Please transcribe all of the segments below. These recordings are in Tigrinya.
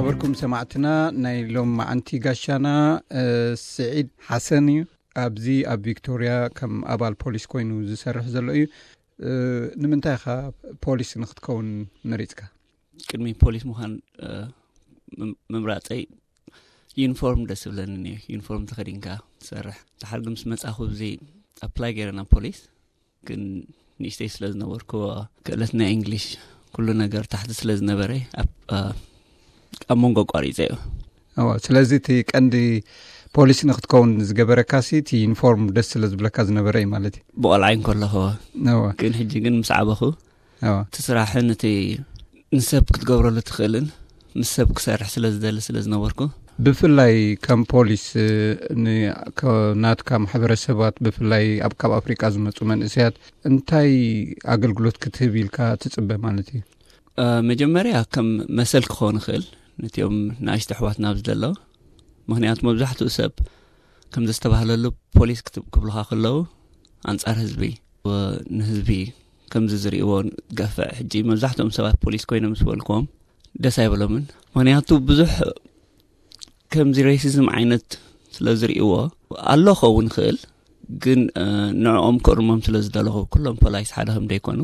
ኣበርኩም ሰማዕትና፣ ናይ ሎም መዓንቲ ጋሻና ስዒድ ሓሰን እዩ። ኣብዚ ኣብ ቪክቶርያ ከም ኣባል ፖሊስ ኮይኑ ዝሰርሕ ዘሎ እዩ። ንምንታይ ኢኻ ፖሊስ ንክትከውን መሪፅካ? ቅድሚ ፖሊስ ምዃን ምምራፀይ፣ ዩኒፎርም ደስ ብለኒ። ዩኒፎርም ተኸዲንካ ትሰርሕ። ድሓር ግን ምስ መፃኹ፣ እዚ ኣፕላይ ገይረ ናብ ፖሊስ፣ ግን ንእሽተይ ስለ ዝነበርኩ፣ ክእለት ናይ እንግሊሽ፣ ኩሉ ነገር ታሕቲ ስለ ዝነበረ፣ ኣብ መንጎ ኣቋሪፀ እዩ። ስለዚ እቲ ቀንዲ ፖሊስ ንክትከውን ዝገበረካ ሲ እቲ ዩኒፎርም ደስ ስለ ዝብለካ ዝነበረ እዩ ማለት እዩ። ብቆልዓ እንከለኹ። ግን ሕጂ ግን ምስ ዓበኹ፣ እቲ ስራሕን እቲ ንሰብ ክትገብረሉ ትኽእልን ምስ ሰብ ክሰርሕ ስለ ዝደሊ ስለ ዝነበርኩ። ብፍላይ ከም ፖሊስ፣ ናትካ ማሕበረሰባት፣ ብፍላይ ኣብ ካብ ኣፍሪቃ ዝመፁ መንእሰያት እንታይ ኣገልግሎት ክትህብ ኢልካ ትፅበ ማለት እዩ? መጀመርያ ከም መሰል ክኸውን ይኽእል ነቲኦም ንኣሽቱ ኣሕዋትና ኣብዚ ዘለዉ። ምኽንያቱ መብዛሕትኡ ሰብ ከም ዘስተባህለሉ፣ ፖሊስ ክብሉኻ ከለዉ ኣንጻር ህዝቢ፣ ንህዝቢ ከምዚ ዝርእይዎ ገፍዕ። ሕጂ መብዛሕትኦም ሰባት ፖሊስ ኮይኖም ምስ በልክዎም ደስ ኣይበሎምን። ምኽንያቱ ብዙሕ ከምዚ ሬሲዝም ዓይነት ስለ ዝርእይዎ፣ ኣሎ ክኸውን ይኽእል፣ ግን ንዕኦም ክእርሞም ስለ ዝደለኹ፣ ኩሎም ፖላይስ ሓደ ከም ደይኮኑ፣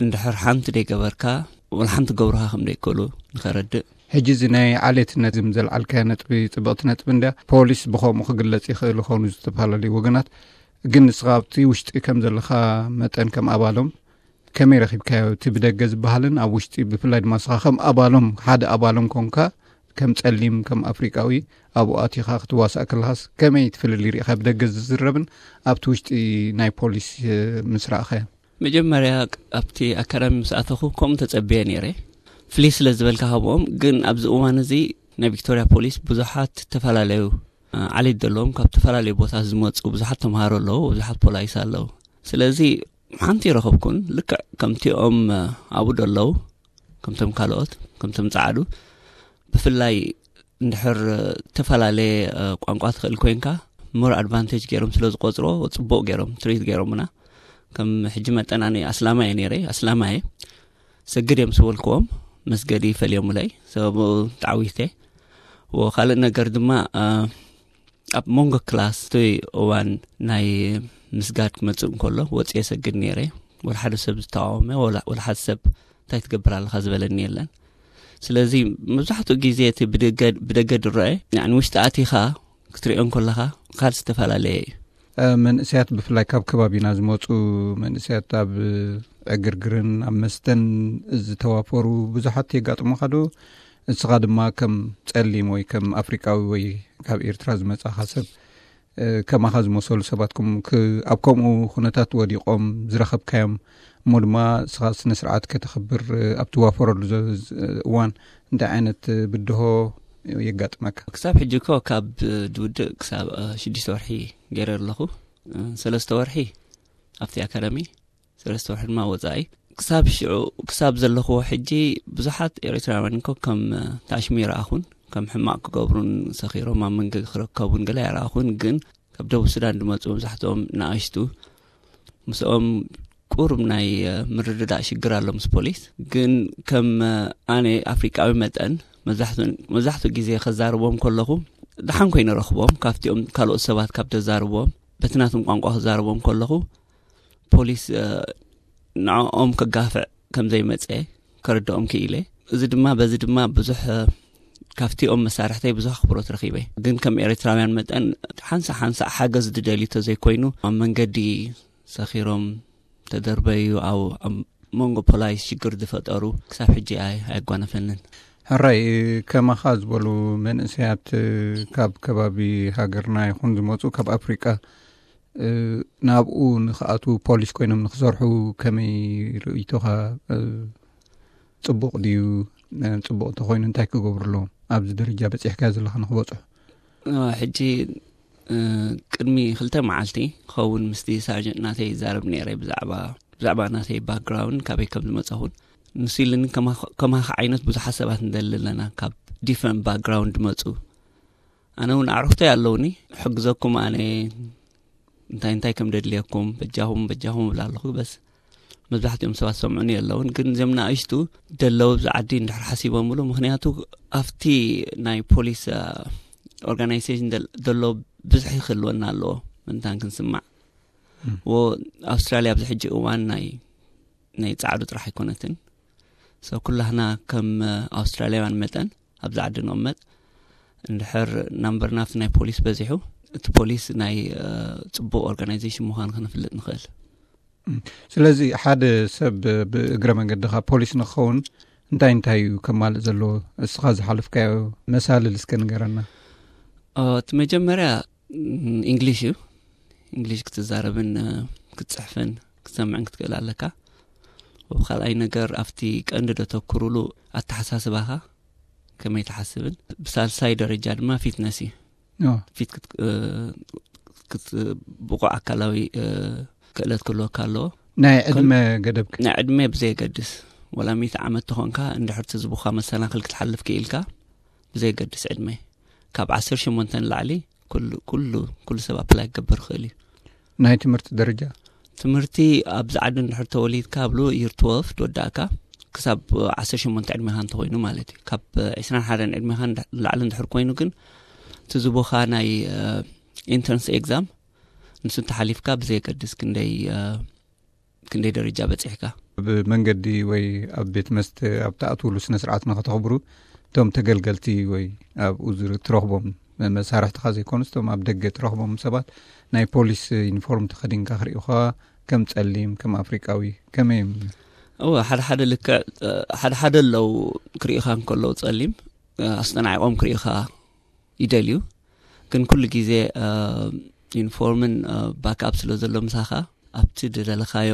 እንድሕር ሓንቲ ደይገበርካ፣ ወላ ሓንቲ ገብርኻ ከም ደይክእሉ ንኸረድእ። ሕጂ እዚ ናይ ዓሌትነት ዝም ዘልዓልካያ ነጥቢ ጽብቕቲ ነጥቢ እንድያ። ፖሊስ ብኸምኡ ክግለጽ ይኽእል ይኸውን ዝተፈላለዩ ወገናት፣ ግን ንስኻ ኣብቲ ውሽጢ ከም ዘለኻ መጠን ከም ኣባሎም ከመይ ረኺብካዮ? እቲ ብደገ ዝበሃልን ኣብ ውሽጢ ብፍላይ ድማ ንስኻ ከም ኣባሎም ሓደ ኣባሎም ኮንካ ከም ጸሊም ከም ኣፍሪቃዊ ኣብኡ ኣቲኻ ክትዋሳእ ከለኻስ ከመይ ትፍልል ይርኢኻ? ብደገ ዝዝረብን ኣብቲ ውሽጢ ናይ ፖሊስ ምስ ረኣኻዮ? መጀመርያ ኣብቲ ኣካዳሚ ምስ ኣተኹ ከምኡ ተጸብየ ነይረ። ፍልይ ስለ ዝበልካ ካብኦም፣ ግን ኣብዚ እዋን እዚ ናይ ቪክቶርያ ፖሊስ ብዙሓት ዝተፈላለዩ ዓሌት ዘለዎም ካብ ዝተፈላለዩ ቦታ ዝመፁ ብዙሓት ተምሃሮ ኣለዉ፣ ብዙሓት ፖላይስ ኣለዉ። ስለዚ ሓንቲ ይረኸብኩን ልክዕ ከምቲኦም ኣብኡ ደለዉ፣ ከምቶም ካልኦት ከምቶም ፃዕዱ ብፍላይ እንድሕር ዝተፈላለየ ቋንቋ ትኽእል ኮይንካ ሞር ኣድቫንቴጅ ገይሮም ስለ ዝቆፅሮ ፅቡቅ ገይሮም ትሪት ገይሮምና። ከም ሕጂ መጠን ኣነ ኣስላማ እየ ነይረ ኣስላማ እየ ሰግድ እዮም ስበልክዎም መስገዲ ይፈልዮምለይ ሰበቡ ተዓዊተ። ወካልእ ነገር ድማ ኣብ መንጎ ክላስ እቲ እዋን ናይ ምስጋድ ክመፅእ እንከሎ ወፂ የሰግድ ነይረ። ወላ ሓደ ሰብ ዝተቃወመ ወላ ሓደ ሰብ እንታይ ትገብር ኣለካ ዝበለኒ የለን። ስለዚ መብዛሕትኡ ግዜ እቲ ብደገ ድረአ ንውሽጢ ኣቲኻ ክትሪኦ እንከለኻ ካል ዝተፈላለየ እዩ። መንእሰያት ብፍላይ ካብ ከባቢና ዝመፁ መንእሰያት ኣብ ዕግርግርን ኣብ መስተን ዝተዋፈሩ ብዙሓት የጋጥሙኻ ዶ? እስኻ ድማ ከም ጸሊም ወይ ከም ኣፍሪቃዊ ወይ ካብ ኤርትራ ዝመጻኻ ሰብ ከማኻ ዝመሰሉ ሰባትኩም ኣብ ከምኡ ኩነታት ወዲቖም ዝረኸብካዮም እሞ ድማ እስኻ ስነ ስርዓት ከተኽብር ኣብ ትዋፈረሉ እዋን እንታይ ዓይነት ብድሆ የጋጥመካ? ክሳብ ሕጂ እኮ ካብ ድውድእ ክሳብ ሽዱሽተ ወርሒ ገይረ ኣለኹ። ሰለስተ ወርሒ ኣብቲ ኣካዳሚ ሰለስተ ወርሒ ድማ ወፃኢ። ክሳብ ሽዑ ክሳብ ዘለኽዎ ሕጂ ብዙሓት ኤርትራውያን እኮ ከም ታሽሚ ይረኣኹን ከም ሕማቕ ክገብሩን ሰኺሮም ኣብ መንገዲ ክረከቡን ገለ ኣይረኣኹን። ግን ካብ ደቡብ ሱዳን ዝመፁ መብዛሕትኦም ንኣሽቱ ምስኦም ቁሩብ ናይ ምርድዳእ ሽግር ኣሎ ምስ ፖሊስ። ግን ከም ኣነ ኣፍሪቃዊ መጠን መብዛሕትኡ ግዜ ከዛርቦም ከለኹ ደሓን ኮይኑ ረኽቦም ካብቲኦም ካልኦት ሰባት ካብ ተዛርቦም በቲ ናቶም ቋንቋ ክዛረቦም ከለኹ ፖሊስ ንዕኦም ከጋፍዕ ከም ዘይመፀ ከረድኦም ክኢለ። እዚ ድማ በዚ ድማ ብዙሕ ካብቲኦም መሳርሕተይ ብዙሕ ኣኽብሮት ረኺበ። ግን ከም ኤርትራውያን መጠን ሓንሳእ ሓንሳእ ሓገዝ ዝደልዩ ተዘይኮይኑ ኣብ መንገዲ ሰኺሮም ተደርበዩ ኣብ ኣብ መንጎ ፖላይስ ሽግር ዝፈጠሩ ክሳብ ሕጂ ኣይ ኣየጓነፈንን። ሕራይ ከማኻ ዝበሉ መንእሰያት ካብ ከባቢ ሃገርና ይኹን ዝመፁ ካብ ኣፍሪቃ ናብኡ ንክኣትዉ ፖሊስ ኮይኖም ንክሰርሑ ከመይ ርእይቶኻ? ፅቡቕ ድዩ? ፅቡቕ እንተኮይኑ እንታይ ክገብሩ ኣለዎም? ኣብዚ ደረጃ በፂሕካዮ ዘለካ ንክበፅሑ። ሕጂ ቅድሚ ክልተ መዓልቲ ክኸውን ምስቲ ሳርጀንት ናተይ ይዛረብ ነይረ ብዛዕባ ብዛዕባ ናተይ ባክግራውንድ ካበይ ከም ዝመፀኹን ንሱ ኢልኒ። ከማኻ ዓይነት ብዙሓት ሰባት ንደሊ ኣለና ካብ ዲፍረንት ባክግራውንድ ዝመፁ። ኣነ እውን ኣዕሩኽተይ ኣለውኒ ሕግዘኩም ኣነ እንታይ እንታይ ከም ደድልየኩም በጃኹም በጃኹም እብላ ኣለኹ። በስ መብዛሕትኦም ሰባት ሰምዑኒ የለውን፣ ግን እዚም ንኣሽቱ ደለዉ ኣብዚ ዓዲ እንድሕር ሓሲቦምሉ፣ ምኽንያቱ ኣብቲ ናይ ፖሊስ ኦርጋናይዜሽን ዘሎ ብዙሕ ይክልወና ኣለዎ ምንታን ክንስማዕ። ዎ ኣውስትራልያ ኣብዚ ሕጂ እዋን ናይ ናይ ጻዕዱ ጥራሕ ኣይኮነትን። ሰው ኩላህና ከም ኣውስትራልያውያን መጠን ኣብዚ ዓዲ ንቕመጥ፣ እንድሕር ናምበርና ኣብቲ ናይ ፖሊስ በዚሑ፣ እቲ ፖሊስ ናይ ጽቡቕ ኦርጋናይዜሽን ምዃኑ ክንፍልጥ ንኽእል። ስለዚ ሓደ ሰብ ብእግረ መንገድኻ ፖሊስ ንክኸውን እንታይ እንታይ እዩ ከማልእ ዘለዎ? እስኻ ዝሓለፍካዮ መሳልል እስከ ንገረና። እቲ መጀመርያ እንግሊሽ እዩ። እንግሊሽ ክትዛረብን ክትፅሕፍን ክትሰምዕን ክትክእል ኣለካ። ወብ ካልኣይ ነገር ኣብቲ ቀንዲ ደተኩሩሉ ኣተሓሳስባኻ ከመይ ትሓስብን፣ ብሳልሳይ ደረጃ ድማ ፊትነስ እዩ። ፊት ብቑዕ ኣካላዊ ክእለት ክህልወካ ኣለዎ። ናይ ዕድመ ገደብ? ናይ ዕድመ ብዘየገድስ፣ ወላ ሚእቲ ዓመት ተኾንካ፣ እንድሕር ትዝቡኻ መሰናኽል ክትሓልፍ ክኢልካ፣ ብዘየገድስ ዕድመ ካብ ዓሰርተ ሸሞንተ ንላዕሊ ኩሉ ኩሉ ሰብ ኣፕላይ ክገብር ይኽእል እዩ። ናይ ትምህርቲ ደረጃ? ትምህርቲ ኣብዚ ዓዲ እንድሕር ተወሊድካ፣ ኣብ ሎወር ይር ትወልቭ ትወዳእካ፣ ክሳብ ዓሰርተ ሸሞንተ ዕድሜኻ እንተኾይኑ ማለት እዩ። ካብ ዕስራን ሓደን ዕድሜኻ ንላዕሊ እንድሕር ኮይኑ ግን፣ ትዝቦኻ ናይ ኢንትራንስ ኤግዛም ንሱ እንተሓሊፍካ፣ ብዘየገድስ ክንደይ ክንደይ ደረጃ በፂሕካ። ብመንገዲ ወይ ኣብ ቤት መስተ ኣብ ትኣትውሉ ስነ ስርዓት ንኸተኽብሩ፣ እቶም ተገልገልቲ ወይ ኣብኡ ትረኽቦም መሳርሕትኻ ዘይኮኑስ፣ እቶም ኣብ ደገ ትረኽቦም ሰባት ናይ ፖሊስ ዩኒፎርም ተኸዲንካ ክርእዩኻ፣ ከም ጸሊም፣ ከም ኣፍሪቃዊ ከመይ እዮም? እወ፣ ሓደ ሓደ ልክዕ፣ ሓደ ሓደ ኣለዉ፣ ክርእዩኻ እንከለዉ ጸሊም ኣስተናዒቖም ክርእዩኻ ይደልዩ። ግን ኩሉ ግዜ ዩኒፎርምን ባክኣፕ ስለ ዘሎ ምሳኻ፣ ኣብቲ ዝደለኻዮ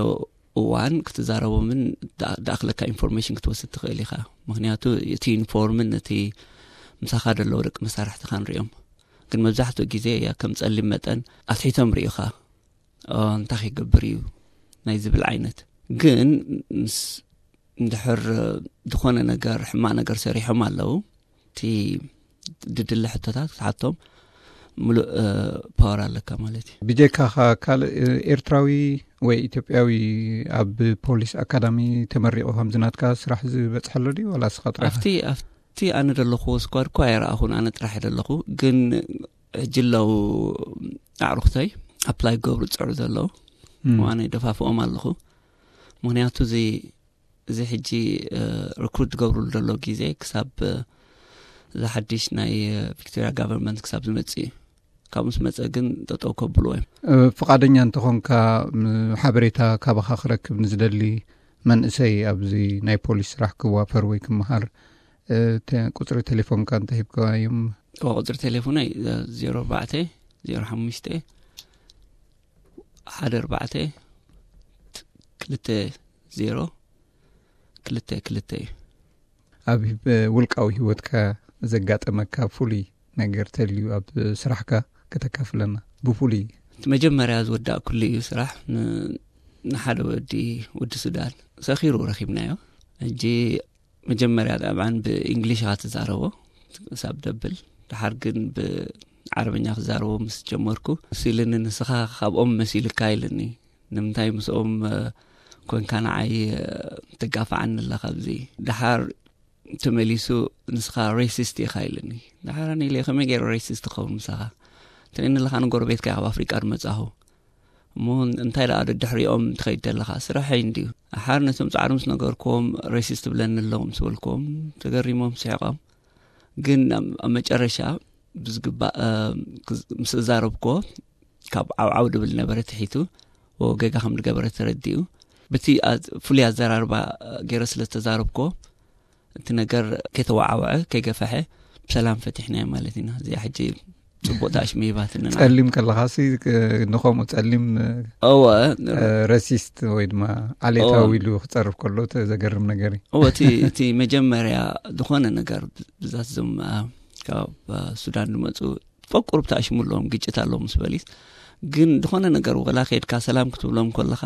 እዋን ክትዛረቦምን ዝኣኽለካ ኢንፎርሜሽን ክትወስድ ትኽእል ኢኻ። ምኽንያቱ እቲ ዩኒፎርምን እቲ ምሳኻ ዘለዉ ደቂ መሳርሕትኻ ንሪኦም። ግን መብዛሕትኡ ግዜ፣ ያ፣ ከም ጸሊም መጠን ኣትሒቶም ርእዩኻ፣ እንታይ ክገብር እዩ ናይ ዝብል ዓይነት። ግን ምስ እንድሕር ዝኾነ ነገር፣ ሕማቕ ነገር ሰሪሖም ኣለዉ፣ እቲ ድድለ ሕቶታት ክትሓቶም ምሉእ ፓወር ኣለካ ማለት እዩ። ብጀካኻ ካልእ ኤርትራዊ ወይ ኢትዮጵያዊ ኣብ ፖሊስ ኣካዳሚ ተመሪቑ ከምዚ ናትካ ስራሕ ዝበጽሐሎ ድዩ፣ ዋላ እስኻ ጥራሕ? ኣብቲ ኣብቲ ኣነ ዘለኹዎ ስኳድ እኳ ኣይረኣኹን፣ ኣነ ጥራሕ እየ ዘለኹ። ግን ሕጂ ኣለዉ ኣዕሩኽተይ ኣፕላይ ክገብሩ ዝጽዕሩ ዘለዉ፣ እም። ዋነ ደፋፍኦም ኣለኹ። ምኽንያቱ እዚ እዚ ሕጂ ርክሩት ዝገብሩሉ ዘሎ ግዜ ክሳብ እዚ ሓድሽ ናይ ቪክቶሪያ ጋቨርንመንት ክሳብ ዝመጽእ እዩ። ካብ ምስ መጸ ግን ጠጠው ከብልዎ እዮም። ፍቓደኛ እንተኾንካ፣ ሓበሬታ ካባኻ ክረክብ ንዝደሊ መንእሰይ ኣብዚ ናይ ፖሊስ ስራሕ ክዋፈር ወይ ክመሃር፣ ቁፅሪ ቴሌፎንካ እንተሂብካዮም? ቁፅሪ ቴሌፎነይ ዜሮ ኣርባዕተ ዜሮ ሓሙሽተ ሓደ ኣርባዕተ ክልተ ዜሮ ክልተ ክልተ እዩ። ኣብ ውልቃዊ ህይወትካ ዘጋጠመካ ፍሉይ ነገር ተልዩ ኣብ ስራሕካ ከተካፍለና? ብፍሉይ እቲ መጀመርያ ዝወዳእኩሉ እዩ ስራሕ፣ ንሓደ ወዲ ወዲ ሱዳን ሰኺሩ ረኺብናዮ። ሕጂ መጀመርያ ጣብዓን ብእንግሊሽ ኢኻ ትዛረቦ ክሳብ ደብል፣ ድሓር ግን ብዓረብኛ ክዛረቦ ምስ ጀመርኩ፣ መሲልኒ፣ ንስኻ ካብኦም መሲልካ ኢልኒ። ንምንታይ ምስኦም ኮንካ ንዓይ ትጋፋዓኒ ኣለኻ ኣብዚ? ድሓር ተመሊሱ ንስኻ ሬሲስት ኢኻ ኢልኒ። ድሓር ኣነ ኢለ ከመይ ገይረ ሬሲስት ክኸውን ምሳኻ? ትርእየኒ ኣለኻ፣ ንጎረቤትካ ካብ ኣፍሪቃ ዝመጻኹ። እሞ እንታይ ደኣ ደድሕሪኦም ትኸይድ ዘለኻ? ስራሐይ እንድዩ። ድሓር ነቶም ጻዕሩ ምስ ነገርክዎም ሬሲስት ትብለኒ ኣለኹ ምስ በልክዎም ተገሪሞም ስሒቖም። ግን ኣብ መጨረሻ ብዝግባእ ምስ እዛረብክዎ ካብ ዓውዓው ድብል ነበረ ትሒቱ ወገጋ ከም ዝገበረ ተረዲኡ። ብቲ ፍሉይ ኣዘራርባ ገይረ ስለ ዝተዛረብክዎ እቲ ነገር ከይተወዓወዐ ከይገፈሐ ብሰላም ፈቲሕናዮ ማለት ኢና። እዚኣ ሕጂ ጽቡቕ ዳሽ መይባትንና። ጸሊም ከለኻሲ ንኸምኡ ጸሊም እወ ረሲስት ወይ ድማ ዓሌታዊ ኢሉ ክጸርፍ ከሎ ዘገርም ነገር እዩ። እወ እቲ መጀመርያ ዝኾነ ነገር ብዛት ዞም ካብ ሱዳን ዝመፁ ፈቁር ብታሽሙ ኣለዎም ግጭት ኣለዎም ምስ በሊስ ግን ዝኾነ ነገር ወላ ከድካ ሰላም ክትብሎም ከለኻ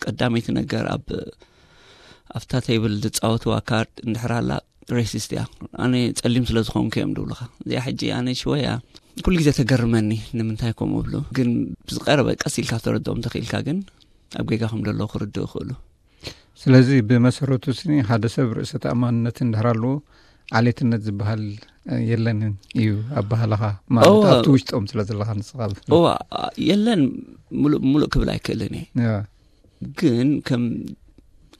ቀዳመይቲ ነገር ኣብ ኣብታ ቴብል ዝጻወትዋ ካርድ እንድሕር ኣላ ሬሲስት እያ። ኣነ ጸሊም ስለ ዝኾንኩ እዮም ድብሉኻ። እዚኣ ሕጂ ኣነ ሽወያ ኩሉ ግዜ ተገርመኒ ንምንታይ ከምኡ ብሉ። ግን ብዝቀረበ ቀስ ኢልካ ተረድኦም ተኽኢልካ ግን ኣብ ጌጋ ከም ዘለዉ ክርድኡ ይኽእሉ። ስለዚ ብመሰረቱ ስኒ ሓደ ሰብ ርእሰ ተኣማንነት እንድሕር ኣለዎ፣ ዓሌትነት ዝበሃል የለንን እዩ ኣባህላኻ። ማለት ኣብቲ ውሽጦም ስለ ዘለኻ ንስኻ። የለን፣ ሙሉእ ሙሉእ ክብል ኣይክእልን እየ። ግን ከም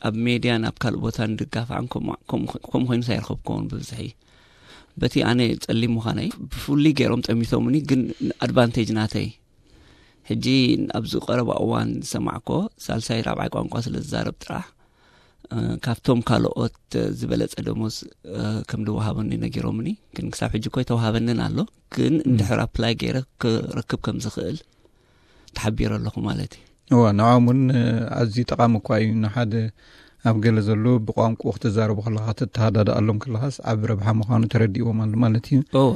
ኣብ ሜድያን ኣብ ካልእ ቦታ ንድጋፋዕን ከምኡ ኮይኑስ ኣይረኸብኩዎን ብብዝሒ። በቲ ኣነ ጸሊም ምዃነይ ብፍሉይ ገይሮም ጠሚቶምኒ፣ ግን ኣድቫንቴጅ ናተይ። ሕጂ ኣብዚ ቀረባ እዋን ዝሰማዕኮ ሳልሳይ ራብዓይ ቋንቋ ስለ ዝዛረብ ጥራሕ ካብቶም ካልኦት ዝበለጸ ደሞዝ ከም ዝወሃበኒ ነጊሮምኒ። ግን ክሳብ ሕጂ እኮ ኣይተወሃበንን ኣሎ። ግን እንድሕር ኣፕላይ ገይረ ክረክብ ከም ዝኽእል ተሓቢረ ኣለኹ ማለት እዩ። እዋ፣ ንዖም እውን ኣዝዩ ጠቓሚ እኳ እዩ። ንሓደ ኣብ ገለ ዘሎ ብቋንቋ ክትዛረቡ ከለኻ፣ ክትተሃዳድኣሎም ከለኻስ ዓቢ ረብሓ ምዃኑ ተረዲእዎም ኣሎ ማለት እዩ። እወ።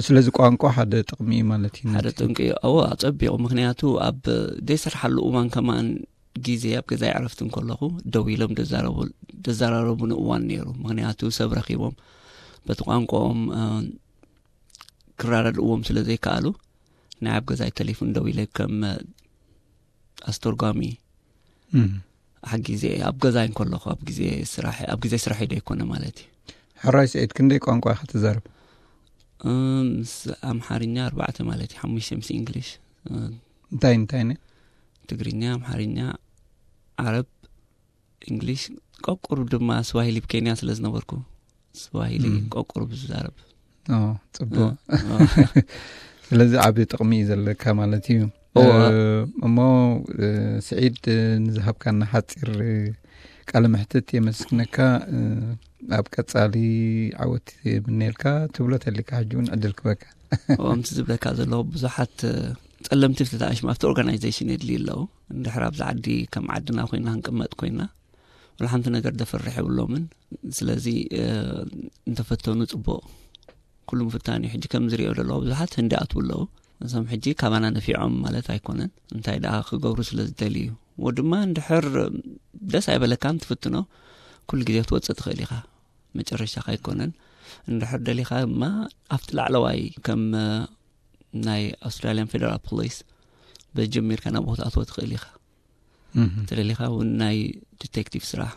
ስለዚ ቋንቋ ሓደ ጥቕሚ እዩ ማለት እዩ። ሓደ ጠንቂ እዩ። እወ፣ ኣጸቢቑ። ምኽንያቱ ኣብ ዘይሰርሓሉ እዋን ከማን ግዜ ኣብ ገዛይ ዕረፍቲ እንከለኹ ደው ኢሎም ደዛረቡ-፣ ደዘራረቡኒ እዋን ነይሩ። ምኽንያቱ ሰብ ረኺቦም በቲ ቋንቋኦም፣ እ፣ ክረዳድእዎም ስለ ዘይከኣሉ ናይ ኣብ ገዛይ ቴሌፎን ደው ኢለ ከም፣ እ፣ ኣስተርጓሚ እም። ሓጊዘ ኣብ ገዛይ እንከለኹ ኣብ ግዜ ስራሕ፣ ኣብ ግዜ ስራሕ ዶ ኣይኮነ ማለት እዩ። ሕራይ ስዒድ፣ ክንደይ ቋንቋ ኢኻ ትዛረብ? እም፣ ምስ ኣምሓርኛ ኣርባዕተ ማለት እዩ፣ ሓሙሽተ ምስ እንግሊሽ። እ፣ እንታይ እንታይ ነ? ትግርኛ፣ ኣምሓርኛ፣ ዓረብ፣ እንግሊሽ፣ ቆቁር ድማ ስዋሂሊ፣ ኣብ ኬንያ ስለ ዝነበርኩ ስዋሂሊ እም። ቆቁር ብዝዛረብ። ኦ፣ ጽቡቕ። እ፣ እ። ስለዚ ዓቢ ጥቕሚ እዩ ዘለካ ማለት እዩ። እወ። እ፣ እሞ፣ እ፣ ስዒድ፣ እ፣ ንዝሃብካና ሓጺር፣ እ፣ ቃለ መሕትት የመስግነካ። እ፣ ኣብ ቀጻሊ ዓወት የምነየልካ። ትብሎ ተሊካ ሕጂ እውን ዕድል ክበካ። እወ፣ ከምቲ ዝብለካ ዘለኹ ብዙሓት፣ እ፣ ጸለምቲ ፍትታሽ ኣብቲ ኦርጋናይዜሽን የድልዩ ኣለዉ። እንድሕር ኣብዚ ዓዲ ከም ዓድና ኮይና ክንቅመጥ ኮይና፣ ወላ ሓንቲ ነገር ደፈርሕ የብሎምን። ስለዚ፣ እ፣ እንተፈተኑ ጽቡቕ። ኩሉ ምፍታን እዩ። ሕጂ ከም ዝሪኦ ዘለኹ ብዙሓት ህንዲ ኣትዉ ኣለዉ። እዞም ሕጂ ካባና ነፊዖም ማለት ኣይኮነን። እንታይ ደኣ ክገብሩ ስለ ዝደልዩ። ወ ድማ እንድሕር ደስ ኣይበለካን ትፍትኖ፣ ኩሉ ግዜ ክትወጽእ ትኽእል ኢኻ። መጨረሻኻ ኣይኮነን። እንድሕር ደሊኻ ድማ ኣብቲ ላዕለዋይ ከም፣ እ፣ ናይ ኣውስትራልያን ፌደራል ፖሊስ በዚ ጀሚርካ ናብኡ ክትኣትዎ ትኽእል ኢኻ። እም። እንተደሊኻ እውን ናይ ዲቴክቲቭ ስራሕ።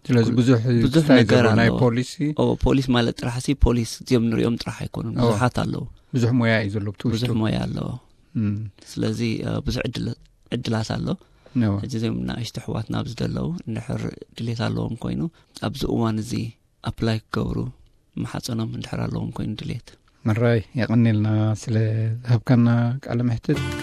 ስለዚ ኩል-፣ ብዙሕ ብዙሕ ክታይ ነገር ዘለዎ ናይ ኣለዎ። ፖሊሲ። ኦ፣ ፖሊስ ማለት ጥራሕ ሲ ፖሊስ እዚኦም ንሪኦም ጥራሕ ኣይኮኑን። ኦ። ብዙሓት ኣለዉ። ብዙሕ ሞያ እዩ ዘሎ ኣብቲ ውሽጡ። ብዙሕ ሞያ ኣለዎ። እም። ስለዚ፣ እ፣ ብዙሕ ዕድል-፣ ዕድላት ኣሎ። እወ። ሕጂ እዚኦም ንኣሽቱ ኣሕዋትና ኣብዚ ዘለዉ እንድሕር ድሌት ኣለዎም ኮይኑ ኣብዚ እዋን እዚ ኣፕላይ ክገብሩ ማሓጸኖም እንድሕር ኣለዎም ኮይኑ ድሌት። ምራይ፣ የቐንየልና ስለ ዝሃብካና ቃለ መሕትት።